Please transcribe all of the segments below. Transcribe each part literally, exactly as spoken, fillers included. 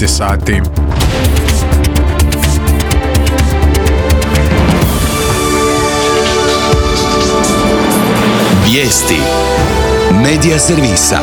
šesnaest je sati. Vijesti Medija servisa.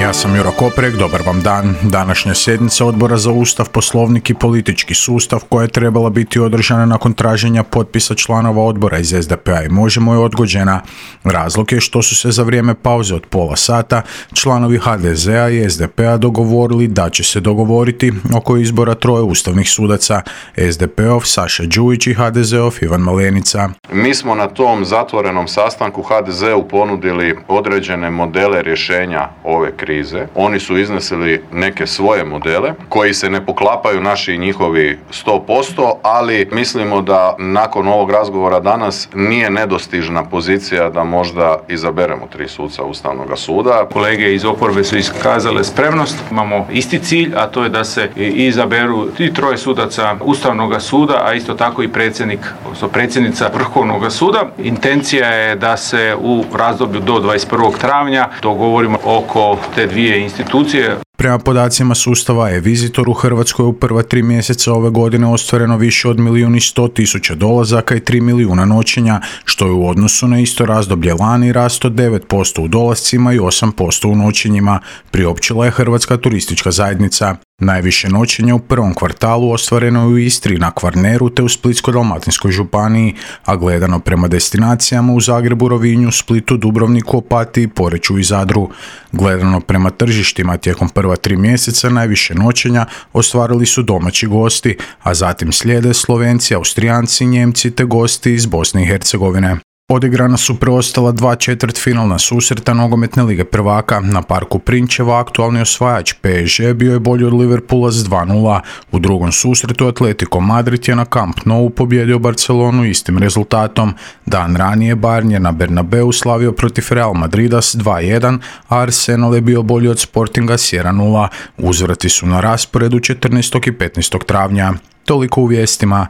Ja sam Juro Koprek, dobar vam dan. Današnja sjednica Odbora za Ustav, Poslovnik i politički sustav, koja je trebala biti održana nakon traženja potpisa članova odbora iz es de pe a i Možemo, je odgođena. Razlog je što su se za vrijeme pauze od pola sata članovi ha de ze a i es de pe a dogovorili da će se dogovoriti oko izbora troje ustavnih sudaca, es de pe ov Saša Đujić i ha de ze ov Ivan Malenica. Mi smo na tom zatvorenom sastanku ha de ze u ponudili određene modele rješenja ove krize. Oni su iznesili neke svoje modele koji se ne poklapaju naši i njihovi sto posto, ali mislimo da nakon ovog razgovora danas nije nedostižna pozicija da možda izaberemo tri suca Ustavnog suda. Kolege iz oporbe su iskazale spremnost. Imamo isti cilj, a to je da se izaberu i troje sudaca Ustavnog suda, a isto tako i predsjednik, odnosno predsjednica Vrhovnog suda. Intencija je da se u razdoblju do dvadeset prvog travnja dogovorimo oko te dvije institucije. Prema podacima sustava e-Visitor u Hrvatskoj u prva tri mjeseca ove godine ostvareno više od milijun i sto tisuća dolazaka i tri milijuna noćenja, što je u odnosu na isto razdoblje lani rast od devet posto u dolascima i osam posto u noćenjima, priopćila je Hrvatska turistička zajednica. Najviše noćenja u prvom kvartalu ostvareno je u Istri, na Kvarneru te u Splitsko-dalmatinskoj županiji, a gledano prema destinacijama u Zagrebu, Rovinju, Splitu, Dubrovniku, Opatiji, Poreču i Zadru. Gledano prema tržištima tijekom prva tri mjeseca najviše noćenja ostvarili su domaći gosti, a zatim slijede Slovenci, Austrijanci, Njemci te gosti iz Bosne i Hercegovine. Odigrana su preostala dva četvrtfinalna susreta nogometne lige prvaka. Na Parku Prinčeva aktualni osvajač pe es ge bio je bolji od Liverpoola s dva nula. U drugom susretu Atletico Madrid je na Camp Nou pobijedio Barcelonu istim rezultatom. Dan ranije Bayern je na Bernabeu slavio protiv Real Madrida s dva jedan, a Arsenal je bio bolji od Sportinga s jedan nula. Uzvrati su na rasporedu četrnaestog i petnaestog travnja. Toliko u vijestima.